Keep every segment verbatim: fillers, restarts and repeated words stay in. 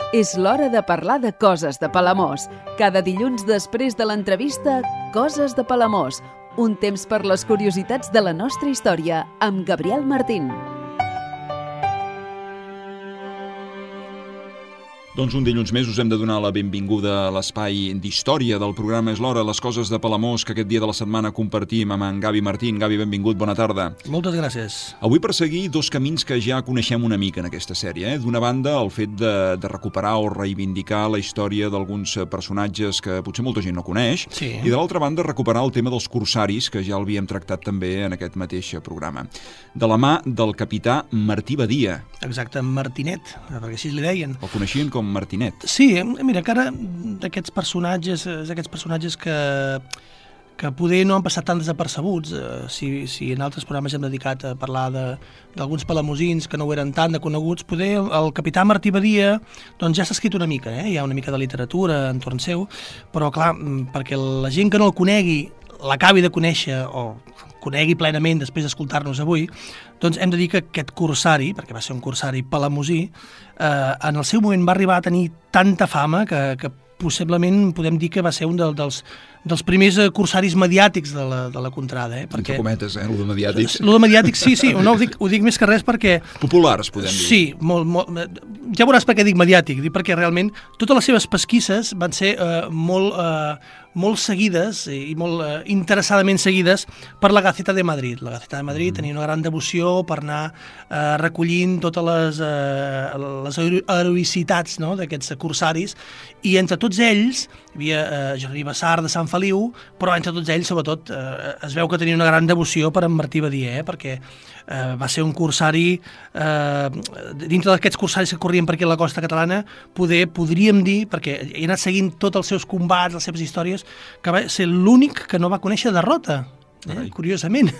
És l'hora de parlar de coses de Palamós. Cada dilluns després de l'entrevista, Coses de Palamós. Un temps per les curiositats de la nostra història, amb Gabriel Martín. Doncs un dilluns més us hem de donar la benvinguda a l'espai d'història del programa És l'hora, les coses de Palamós, que aquest dia de la setmana compartim amb en Gavi Martín. Gavi, benvingut, bona tarda. Moltes gràcies. Avui per seguir dos camins que ja coneixem una mica en aquesta sèrie. Eh? D'una banda, el fet de, de recuperar o reivindicar la història d'alguns personatges que potser molta gent no coneix, sí. I de l'altra banda, recuperar el tema dels corsaris, que ja l'havíem tractat també en aquest mateix programa. De la mà del capità Martí Badia. Exacte, Martinet, perquè així li deien. El coneixien com Martinet. Sí, mira, que ara d'aquests personatges, aquests personatges que, que poder no han passat tan desapercebuts, eh, si, si en altres programes hem dedicat a parlar d'alguns palamosins que no ho eren tan de coneguts, poder el capità Martí Badia doncs ja s'ha escrit una mica, eh? Hi ha una mica de literatura entorn seu, però clar, perquè la gent que no el conegui l'acabi de conèixer o conegui plenament després d'escoltar-nos avui, doncs hem de dir que aquest corsari, perquè va ser un corsari palamosí, eh, en el seu moment va arribar a tenir tanta fama que, que possiblement podem dir que va ser un de, dels, dels primers corsaris mediàtics de la, de la contrada. Eh? Perquè, entre cometes, eh? Lo de mediàtics. Lo de mediàtics, sí, sí, no, ho, dic, ho dic més que res perquè... Populars, podem dir. Sí, molt, molt, ja veuràs per què dic mediàtic, dic perquè realment totes les seves pesquisses van ser eh, molt... Eh, molt seguides i molt eh, interessadament seguides per la Gaceta de Madrid. La Gaceta de Madrid mm. tenia una gran devoció per anar eh, recollint totes les, eh, les heroïcitats, no?, d'aquests corsaris, i entre tots ells hi havia eh, Jordi Bassar de Sant Feliu, però entre tots ells, sobretot, eh, es veu que tenia una gran devoció per en Martí Badia, eh, perquè eh, va ser un corsari, eh, dintre d'aquests corsaris que corrien per aquí a la costa catalana, poder, podríem dir, perquè he anat seguint tots els seus combats, les seves històries, que va ser l'únic que no va conèixer derrota, eh? Curiosament.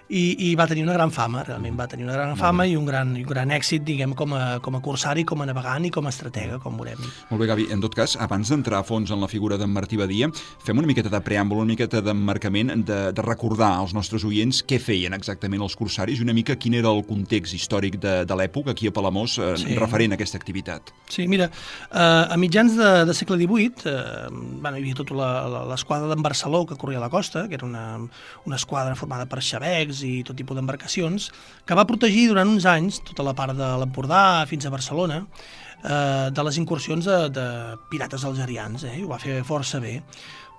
I, I va tenir una gran fama, realment va tenir una gran fama i un gran, i un gran èxit, diguem, com a, com a corsari, com a navegant i com a estratega, com veurem. Molt bé, Gavi. En tot cas, abans d'entrar a fons en la figura d'en Martí Badia, fem una miqueta de preàmbul, una miqueta d'emmarcament, de, de recordar als nostres oients què feien exactament els corsaris i una mica quin era el context històric de, de l'època aquí a Palamós eh, sí. referent a aquesta activitat. Sí, mira, eh, a mitjans de, de segle divuit eh, bueno, hi havia tota l'esquadra d'en Barceló que corria a la costa, que era una, una esquadra formada per xavecs i tot tipus d'embarcacions, que va protegir durant uns anys tota la part de l'Empordà fins a Barcelona eh, de les incursions de, de pirates algerians, eh, i ho va fer força bé.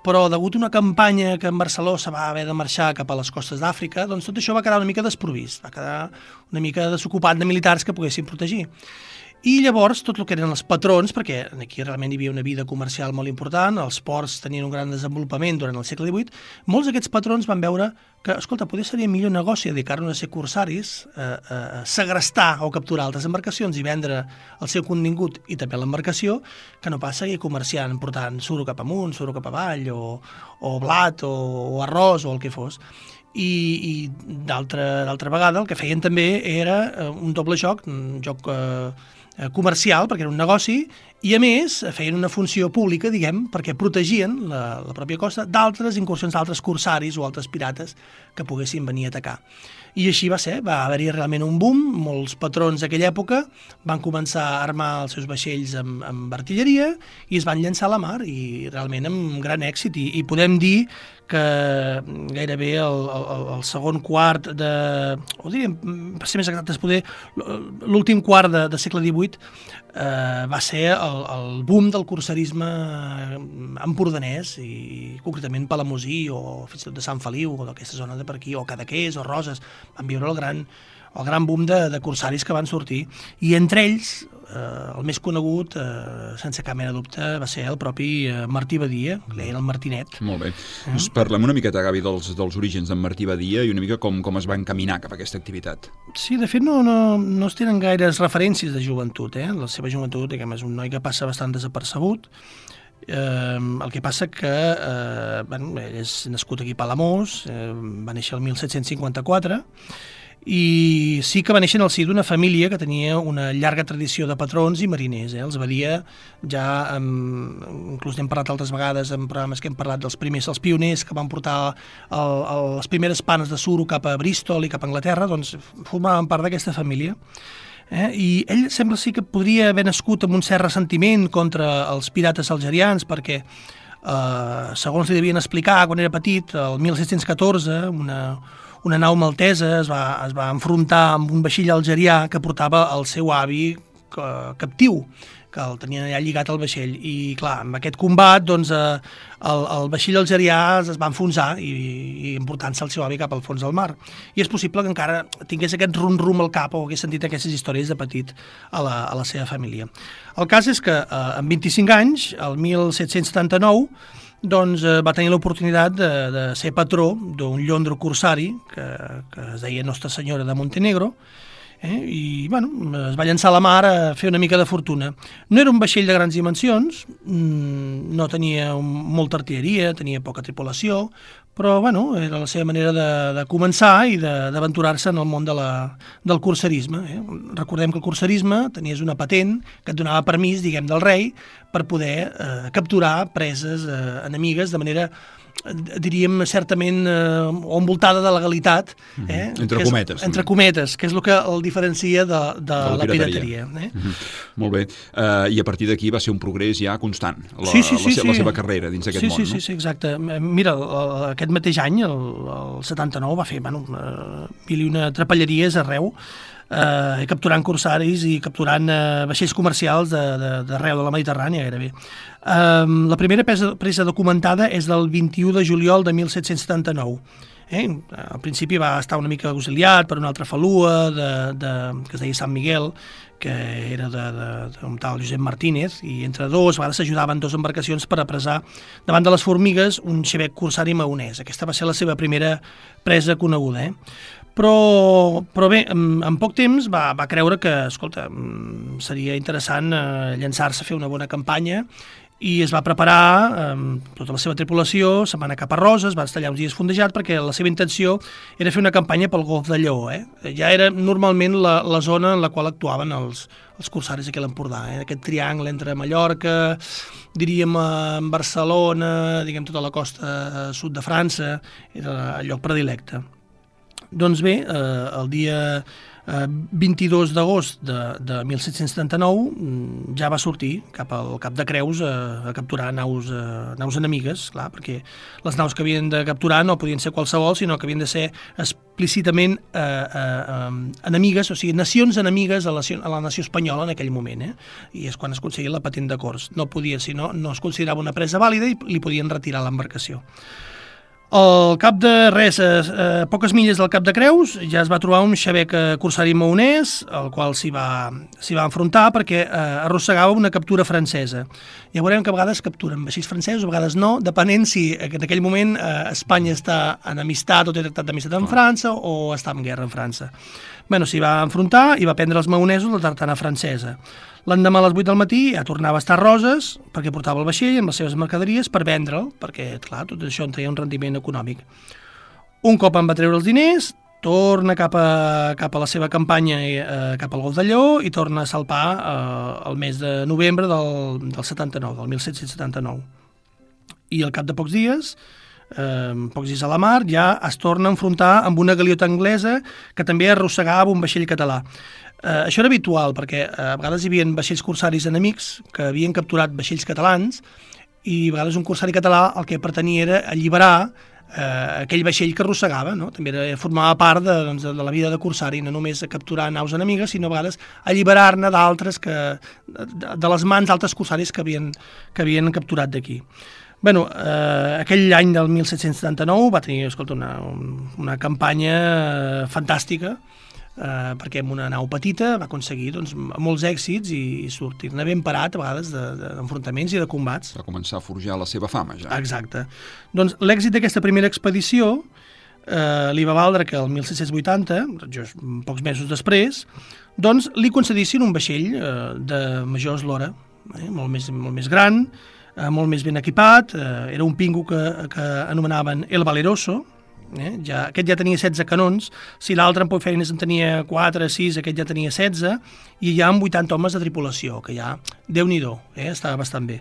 Però degut a una campanya que en Barceló se va haver de marxar cap a les costes d'Àfrica, doncs tot això va quedar una mica desprovist, va quedar una mica desocupat de militars que poguessin protegir. I llavors tot el que eren els patrons, perquè aquí realment hi havia una vida comercial molt important, els ports tenien un gran desenvolupament durant el segle divuit, molts d'aquests patrons van veure que, escolta, potser seria millor negoci dedicar-nos a ser corsaris, eh, eh, segrestar o capturar altres embarcacions i vendre el seu contingut i també l'embarcació, que no pas seguir comerciant, portant suro cap amunt, suro cap avall, o, o blat, o, o arròs, o el que fos. I, i d'altra vegada el que feien també era un doble joc, un joc eh, comercial, perquè era un negoci, i a més feien una funció pública, diguem, perquè protegien la, la pròpia costa d'altres incursions d'altres corsaris o altres pirates que poguessin venir a atacar. I així va ser, va haver-hi realment un boom, molts patrons d'aquella època van començar a armar els seus vaixells amb, amb artilleria i es van llançar a la mar, i realment amb gran èxit, i, i podem dir que gairebé el, el, el segon quart de, o diríem, per ser més exactes, poder l'últim quart de, de segle divuit eh, va ser el, el boom del corsarisme empordanès, i concretament palamosí o fins i tot de Sant Feliu o d'aquesta zona de per aquí, o Cadaqués o Roses, van viure el gran, el gran boom de, de corsaris que van sortir, i entre ells eh, el més conegut, eh, sense cap mena de dubte, va ser el propi eh, Martí Badia, que deien el Martinet. Molt bé. Eh? Doncs parlem una miqueta, Gavi, dels, dels orígens d'en Martí Badia i una mica com, com es va encaminar cap a aquesta activitat. Sí, de fet no, no, no es tenen gaires referències de joventut, eh? La seva joventut, diguem, és un noi que passa bastant desapercebut. Eh, el que passa que eh, bueno, ell és nascut aquí a Palamós, eh, va néixer el mil set-cents cinquanta-quatre, i sí que va néixer en el si d'una família que tenia una llarga tradició de patrons i mariners. Eh? Els Badia, ja amb, inclús n'hem parlat altres vegades en programes que hem parlat dels primers, els pioners que van portar el, el, les primeres panes de suro cap a Bristol i cap a Anglaterra, doncs formaven part d'aquesta família. Eh? I ell sembla sí que podria haver nascut amb un cert ressentiment contra els pirates algerians, perquè, eh, segons li devien explicar, quan era petit, el mil set-cents catorze, una, una nau maltesa es va, es va enfrontar amb un vaixell algerià que portava el seu avi captiu, que el tenien allà lligat al vaixell, i clar, amb aquest combat doncs, eh, el, el vaixell algerià es va enfonsar i, i emportant-se el seu avi cap al fons del mar. I és possible que encara tingués aquest rum-rum al cap o hagués sentit aquestes històries de petit a la, a la seva família. El cas és que eh, amb vint-i-cinc anys, el mil set-cents setanta-nou, doncs eh, va tenir l'oportunitat de, de ser patró d'un llondro corsari que, que es deia Nostra Senyora de Montenegro, Eh? i bueno, es va llançar a la mar a fer una mica de fortuna. No era un vaixell de grans dimensions, no tenia molta artilleria, tenia poca tripulació, però bueno, era la seva manera de, de començar i d'aventurar-se en el món de la, del corsarisme. Eh? Recordem que el corsarisme tenies una patent que et donava permís, diguem, del rei per poder eh, capturar preses eh, enemigues de manera, diríem, certament eh, o envoltada de legalitat. Eh? Mm-hmm. Entre cometes. És, entre cometes, que és el que el diferencia de, de, de la, la pirateria. Eh? Mm-hmm. Molt bé. Uh, I a partir d'aquí va ser un progrés ja constant, la, sí, sí, sí, la, sí. la seva carrera dins d'aquest sí, món. Sí, no? sí, sí, exacte. Mira, aquest mateix any, el, el setanta-nou, va fer bueno, mil i una trapelleries arreu, eh, capturant corsaris i capturant eh, vaixells comercials d'arreu de, de, de la Mediterrània, gairebé. Eh, la primera presa, presa documentada és del vint-i-u de juliol de mil set-cents setanta-nou. Eh? Al principi va estar una mica auxiliat per una altra falua de, de, que es deia Sant Miguel, que era d'un tal Josep Martínez, i entre dos, a vegades s'ajudaven dues embarcacions per apressar davant de les formigues un xebec corsari maonès. Aquesta va ser la seva primera presa coneguda. Eh? Però, però bé, en, en poc temps va, va creure que, escolta, seria interessant eh, llançar-se a fer una bona campanya, i es va preparar amb eh, tota la seva tripulació, se'n va anar cap a Roses, va estar allà uns dies fondejat, perquè la seva intenció era fer una campanya pel Golf de Lleó. Eh? Ja era normalment la, la zona en la qual actuaven els, els corsaris aquí a l'Empordà, eh? Aquest triangle entre Mallorca, diríem en Barcelona, diguem tota la costa sud de França, era el lloc predilecte. Doncs bé, eh, el dia eh, vint-i-dos d'agost de, de mil set-cents setanta-nou ja va sortir cap al Cap de Creus a, a capturar naus, eh, naus enemigues, clar, perquè les naus que havien de capturar no podien ser qualsevol, sinó que havien de ser explícitament eh, eh, enemigues, o sigui, nacions enemigues a la, a la nació espanyola en aquell moment, eh? I és quan es aconseguia la patent de cors. No podia, si no, no es considerava una presa vàlida i li podien retirar l'embarcació. Al cap de res, a poques milles del Cap de Creus, ja es va trobar un xebec corsari maonès, al qual s'hi va, s'hi va enfrontar perquè eh, arrossegava una captura francesa. Ja veurem que a vegades capturen vaixells francesos, a vegades no, depenent si en aquell moment eh, Espanya està en amistat o té tractat d'amistat amb França o està en guerra amb França. Bueno, s'hi va enfrontar i va prendre els maonesos la tartana francesa. L'endemà a les vuit del matí ja tornava a estar a Roses perquè portava el vaixell amb les seves mercaderies per vendre'l, perquè, clar, tot això en treia un rendiment econòmic. Un cop en va treure els diners, torna cap a, cap a la seva campanya, eh, cap al Golf de Lleó, i torna a salpar eh, el mes de novembre del, del setanta-nou, del mil set-cents setanta-nou. I al cap de pocs dies, eh, pocs dies a la mar, ja es torna a enfrontar amb una galiota anglesa que també arrossegava un vaixell català. Eh, això era habitual, perquè eh, a vegades hi havia vaixells corsaris enemics que havien capturat vaixells catalans, i a vegades un corsari català el que pretenia era alliberar eh, aquell vaixell que arrossegava, no? També era, formava part de, doncs, de la vida de corsari, no només capturar naus enemigues, sinó a vegades alliberar-ne d'altres, que de, de les mans d'altres corsaris que havien, que havien capturat d'aquí. Bueno, eh, aquell any del mil set-cents setanta-nou va tenir, escolta, una, una campanya eh, fantàstica, eh, perquè amb una nau petita va aconseguir doncs, molts èxits i, i sortir-ne ben parat a vegades d'enfrontaments de, de i de combats. Va començar a forjar la seva fama ja. Exacte. Doncs l'èxit d'aquesta primera expedició eh, li va valdre que el mil set-cents vuitanta, just pocs mesos després, doncs li concedissin un vaixell eh, de major eslora, eh, molt, més, molt més gran, eh, molt més ben equipat, eh, era un pingo que, que anomenaven El Valeroso. Eh? Ja, aquest ja tenia setze canons, si l'altre en Poifeines en tenia quatre, sis, aquest ja tenia setze, i ja amb vuitanta homes de tripulació, que ja Déu-n'hi-do, eh? Estava bastant bé.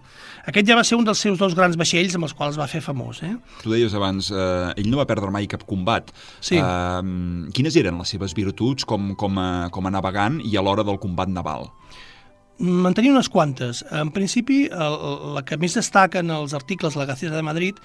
Aquest ja va ser un dels seus dos grans vaixells amb els quals va fer famós. Eh? Tu deies abans, eh, ell no va perdre mai cap combat. Sí. Eh, quines eren les seves virtuts com, com, a, com a navegant i a l'hora del combat naval? En tenia unes quantes. En principi, el, la que més destaca en els articles de la Gaceta de Madrid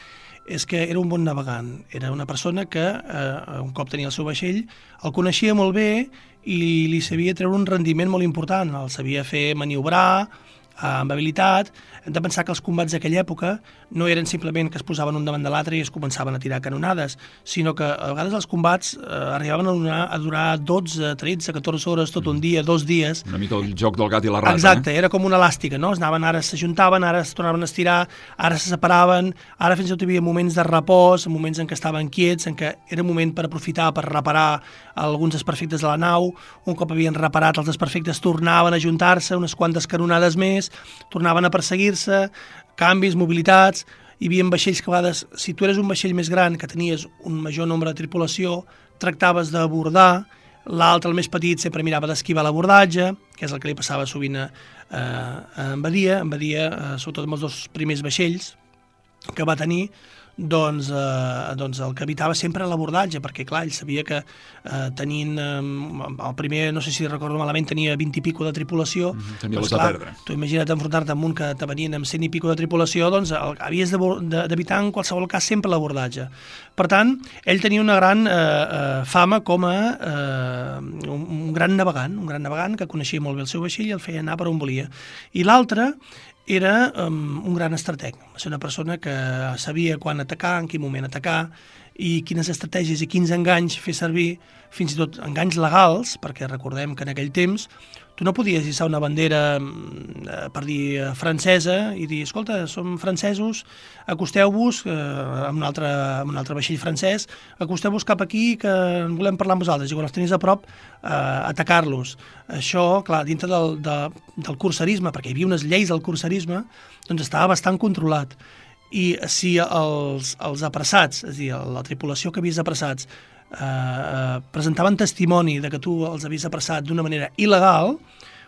és que era un bon navegant. Era una persona que, eh, un cop tenia el seu vaixell, el coneixia molt bé i li sabia treure un rendiment molt important. El sabia fer maniobrar eh, amb habilitat. Hem de pensar que els combats d'aquella època no eren simplement que es posaven un davant de l'altre i es començaven a tirar canonades, sinó que a vegades els combats eh, arribaven a durar, a durar dotze, tretze, catorze hores, tot un dia, dos dies. Una mica el joc del gat i la rata. Exacte, eh? era com una elàstica, no? Es anaven, ara s'ajuntaven, ara es tornaven a estirar, ara se separaven, ara fins i tot hi havia moments de repòs, moments en què estaven quiets, en què era un moment per aprofitar, per reparar alguns desperfectes de la nau. Un cop havien reparat els desperfectes, tornaven a ajuntar-se, unes quantes canonades més, tornaven a perseguir-se, canvis, mobilitats. Hi havia vaixells que a vegades, si tu eres un vaixell més gran, que tenies un major nombre de tripulació, tractaves d'abordar, l'altre, el més petit, sempre mirava d'esquivar l'abordatge, que és el que li passava sovint a, a Badia, en Badia, sobretot amb els dos primers vaixells que va tenir, doncs, eh, doncs el que evitava sempre l'abordatge, perquè clar, ell sabia que eh, tenint eh, el primer, no sé si recordo malament, tenia vint i pico de tripulació. Mm-hmm. Tenia doncs, les clar, de perdre. Tu imagina't enfrontar-te amb un que te venien amb cent i pico de tripulació, doncs el, havies d'evitar en qualsevol cas sempre l'abordatge. Per tant, ell tenia una gran eh, eh, fama com a eh, un, un gran navegant, un gran navegant que coneixia molt bé el seu vaixell i el feia anar per on volia. I l'altre era um, un gran estrateg, va ser una persona que sabia quan atacar, en quin moment atacar i quines estratègies i quins enganys fer servir, fins i tot enganys legals, perquè recordem que en aquell temps tu no podies hissar una bandera eh, per dir eh, francesa i dir, escolta, som francesos, acosteu-vos eh, amb, un altre, amb un altre vaixell francès, acosteu-vos cap aquí que en volem parlar amb vosaltres, i quan els tenies a prop eh, atacar-los. Això, clar, dintre del, de, del cursarisme, perquè hi havia unes lleis del cursarisme, doncs estava bastant controlat. I si els, els apressats, és a dir, la tripulació que havies apressats, eh, presentaven testimoni de que tu els havies apressat d'una manera il·legal,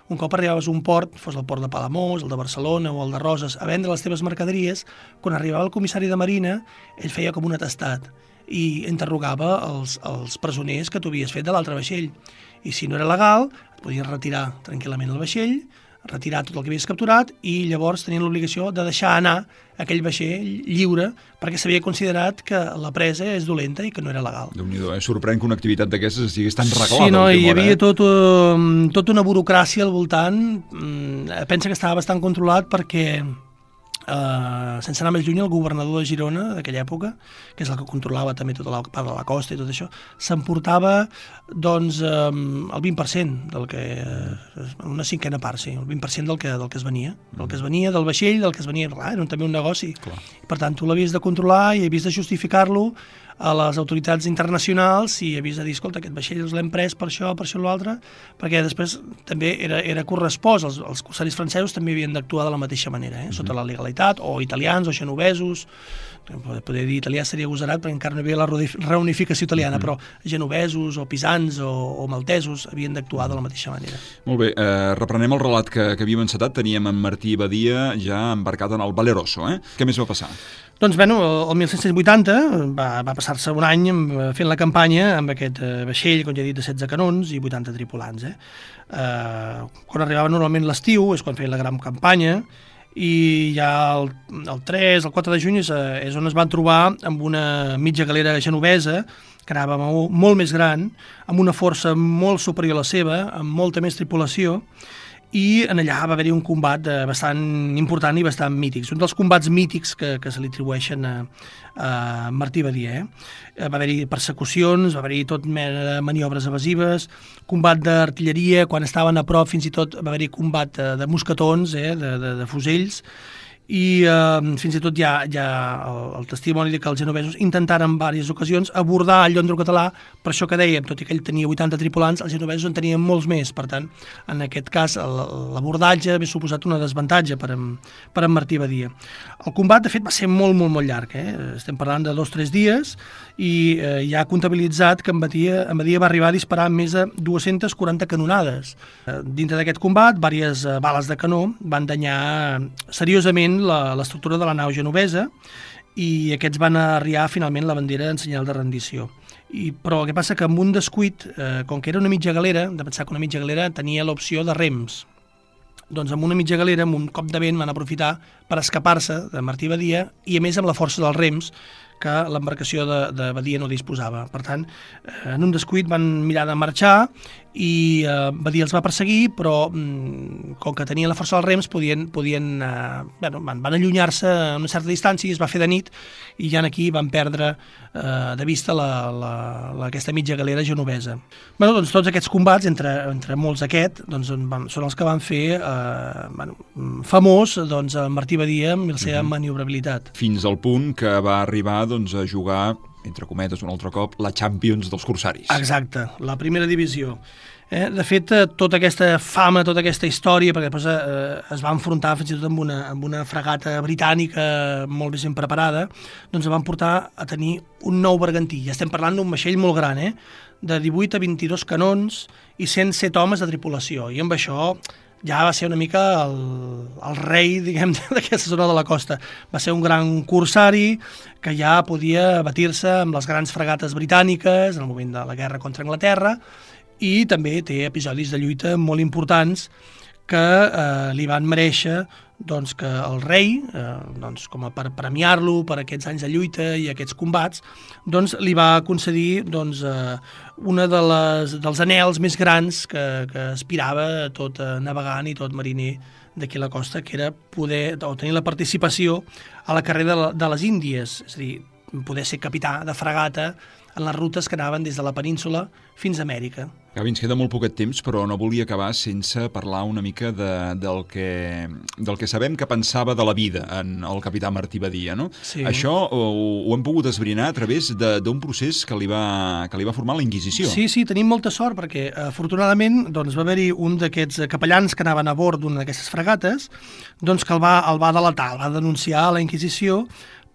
un cop arribaves a un port, fos el port de Palamós, el de Barcelona o el de Roses, a vendre les teves mercaderies, quan arribava el comissari de Marina, ell feia com un atestat i interrogava els, els presoners que tu havies fet de l'altre vaixell. I si no era legal, et podies retirar tranquil·lament el vaixell, retirar tot el que havies capturat i llavors tenien l'obligació de deixar anar aquell vaixell lliure perquè s'havia considerat que la presa és dolenta i que no era legal. Déu-n'hi-do, eh? Sorprèn que una activitat d'aquestes estigués tan reglada. Sí, no, hi hora, havia eh? tot, uh, tota una burocràcia al voltant. Uh, pensa que estava bastant controlat perquè Uh, sense anar més lluny, el governador de Girona d'aquella època, que és el que controlava també tota la part de la costa i tot això, s'emportava doncs um, el vint per cent del que, uh, una cinquena part, sí, el vint per cent del que, del que es venia, del que es venia del vaixell, del que es venia, clar, era també un negoci. Clar. Per tant, tu l'havies de controlar i havies de justificar-lo a les autoritats internacionals i havies de dir, escolta, aquest vaixell els l'hem pres per això, per això o l'altre, perquè després també era, era correspost, els, els corsaris francesos també havien d'actuar de la mateixa manera, eh? Sota la legalitat, o italians, o genovesos, poder dir italià seria agosarat perquè encara no hi havia la reunificació italiana, mm-hmm. però genovesos, o pisans, o, o maltesos havien d'actuar de la mateixa manera. Molt bé, eh, reprenem el relat que, que havíem encetat, teníem en Martí Badia ja embarcat en el Valeroso, eh? Què més va passar? Doncs, bueno, el mil set-cents vuitanta va, va passar-se un any fent la campanya amb aquest eh, vaixell, com ja he dit, de setze canons i vuitanta tripulants. Eh? Eh, quan arribava normalment l'estiu és quan feien la gran campanya i ja el, el tres, el quatre de juny és, és on es van trobar amb una mitja galera genovesa que anava molt, molt més gran, amb una força molt superior a la seva, amb molta més tripulació, i en allà va haver-hi un combat eh, bastant important i bastant mític. Un dels combats mítics que, que se li atribueixen a, a Martí Badia. Eh? Va haver-hi persecucions, va haver-hi tot mena de maniobres evasives, combat d'artilleria, quan estaven a prop fins i tot va haver-hi combat de, de mosquetons, eh? de, de, de fusells, i eh, fins i tot hi ha, hi ha el, el testimoni de que els genovesos intentaren en diverses ocasions abordar el llondro català, per això que dèiem, tot i que ell tenia vuitanta tripulants, els genovesos en tenien molts més, per tant, en aquest cas, l'abordatge havia suposat una desavantatge per en, per en Martí Badia. El combat, de fet, va ser molt, molt, molt llarg, eh? Estem parlant de dos o tres dies, i eh, ja ha comptabilitzat que en Badia, en Badia va arribar a disparar més de dues-centes quaranta canonades. Eh, dintre d'aquest combat, diverses eh, bales de canó van danyar seriosament l'estructura de la nau genovesa, i aquests van arriar finalment la bandera en senyal de rendició. I, però el que passa que amb un descuit, eh, com que era una mitja galera, de pensar que una mitja galera tenia l'opció de rems, doncs amb una mitja galera, amb un cop de vent, van aprofitar per escapar-se de Martí Badia, i a més amb la força dels rems que l'embarcació de, de Badia no disposava. Per tant, eh, en un descuit van mirar de marxar i eh, Badia els va perseguir, però mm, com que tenien la força dels rems podien, podien eh, bueno, van, van allunyar-se a una certa distància, i es va fer de nit, i ja aquí van perdre eh, de vista la, la, la, aquesta mitja galera genovesa. Bueno, doncs tots aquests combats, entre, entre molts aquest, doncs, van, són els que van fer eh, bueno, famós doncs, Martí Badia amb la seva uh-huh. maniobrabilitat. Fins al punt que va arribar doncs, a jugar, entre cometes, un altre cop, la Champions dels corsaris. Exacte, la primera divisió. Eh, de fet, tota aquesta fama, tota aquesta història, perquè després eh, es va enfrontar fins i tot amb una, amb una fragata britànica molt ben preparada, doncs van portar a tenir un nou bergantí. Ja estem parlant d'un vaixell molt gran, eh? De divuit a vint-i-dos canons i cent set homes de tripulació, i amb això ja va ser una mica el, el rei, diguem, d'aquesta zona de la costa. Va ser un gran corsari que ja podia batir-se amb les grans fragates britàniques en el moment de la guerra contra Anglaterra, i també té episodis de lluita molt importants que eh, li van mereixer doncs, que el rei, eh, doncs, com a per premiar-lo per aquests anys de lluita i aquests combats, doncs, li va concedir doncs, eh, una de les, dels anhels més grans que, que aspirava tot eh, navegant i tot mariner d'aquí a la costa, que era poder o tenir la participació a la carrera de, de les Índies, és a dir, poder ser capità de fragata en les rutes que anaven des de la península fins a Amèrica. Gavi, ens queda molt poquet temps, però no volia acabar sense parlar una mica de, del, que, del que sabem que pensava de la vida en el capità Martí Badia, no? Sí. Això ho, ho hem pogut esbrinar a través d'un procés que li, va, que li va formar la Inquisició. Sí, sí, tenim molta sort, perquè afortunadament doncs, va haver-hi un d'aquests capellans que anaven a bord d'una d'aquestes fragates, doncs, que el va, el va delatar, el va denunciar a la Inquisició,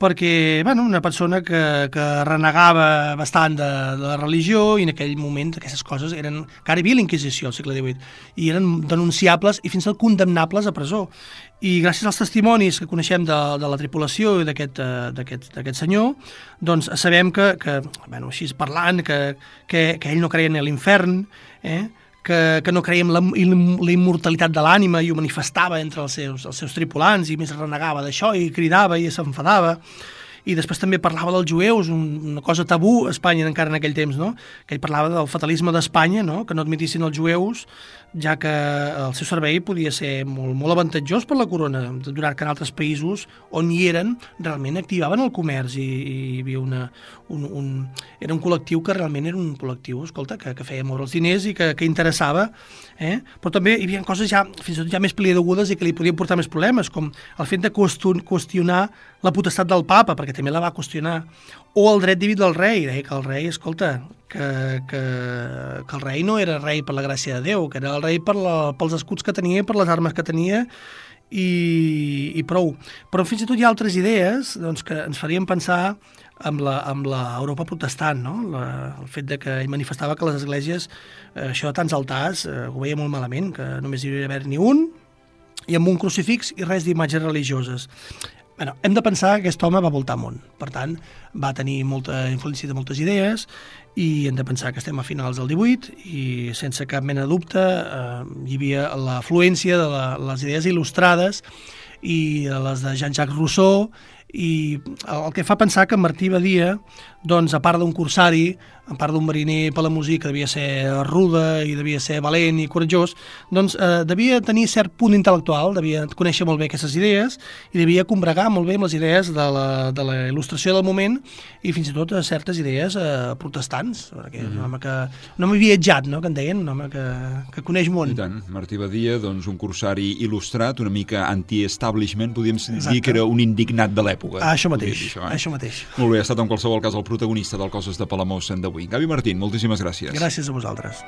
perquè bueno, una persona que, que renegava bastant de, de la religió, i en aquell moment aquestes coses eren... Encara hi havia la Inquisició al segle divuit, i eren denunciables i fins i tot condemnables a presó. I gràcies als testimonis que coneixem de, de la tripulació i d'aquest senyor, doncs sabem que, que bueno, així parlant, que, que, que ell no creia en l'infern, eh? que, que no creia en la, la immortalitat de l'ànima, i ho manifestava entre els seus, els seus tripulants, i més renegava d'això i cridava i s'enfadava. I després també parlava dels jueus, una cosa tabú a Espanya encara en aquell temps, no? Que ell parlava del fatalisme d'Espanya, no? Que no admetissin els jueus, ja que el seu servei podia ser molt, molt avantatjós per la corona, donat que en altres països on hi eren realment activaven el comerç, i, i hi havia una, un, un, era un col·lectiu que realment era un col·lectiu, escolta, que, que feia moure els diners i que, que interessava, eh? Però també hi havia coses ja, fins i tot ja més peliagudes i que li podien portar més problemes, com el fet de qüestionar la potestat del papa, perquè també la va qüestionar, o el dret diví del rei, deia que el rei, escolta, que, que, que el rei no era rei per la gràcia de Déu, que era el rei per la, pels escuts que tenia, per les armes que tenia, i, i prou. Però fins i tot hi ha altres idees doncs, que ens farien pensar amb la, amb la Europa protestant, no? La, el fet de que ell manifestava que les esglésies, eh, això de tants altars, eh, ho veia molt malament, que només hi havia d'haver ni un, i amb un crucifix i res d'imatges religioses. Bueno, hem de pensar que aquest home va voltar món, per tant, va tenir molta influència de moltes idees, i hem de pensar que estem a finals del divuit i sense cap mena de dubte eh, hi havia l'afluència de la, les idees il·lustrades i les de Jean-Jacques Rousseau i el que fa pensar que Martí Badia, doncs, a part d'un corsari, a part d'un mariner palamosí que devia ser ruda i devia ser valent i coratjós, doncs eh, devia tenir cert punt intel·lectual, devia conèixer molt bé aquestes idees i devia combregar molt bé amb les idees de la, de la il·lustració del moment i fins i tot certes idees eh, protestants, perquè mm-hmm. un home que un home viatjat, no?, que en deien, un home que, que coneix món. I tant, Martí Badia, doncs un corsari il·lustrat, una mica anti-establishment, podríem Exacte. dir que era un indignat de l'època. Ah, això mateix, dir, això, eh? això mateix. Molt bé, ha estat en qualsevol cas el protagonista del Coses de Palamós d'avui. Gavi Martín, moltíssimes gràcies. Gràcies a vosaltres.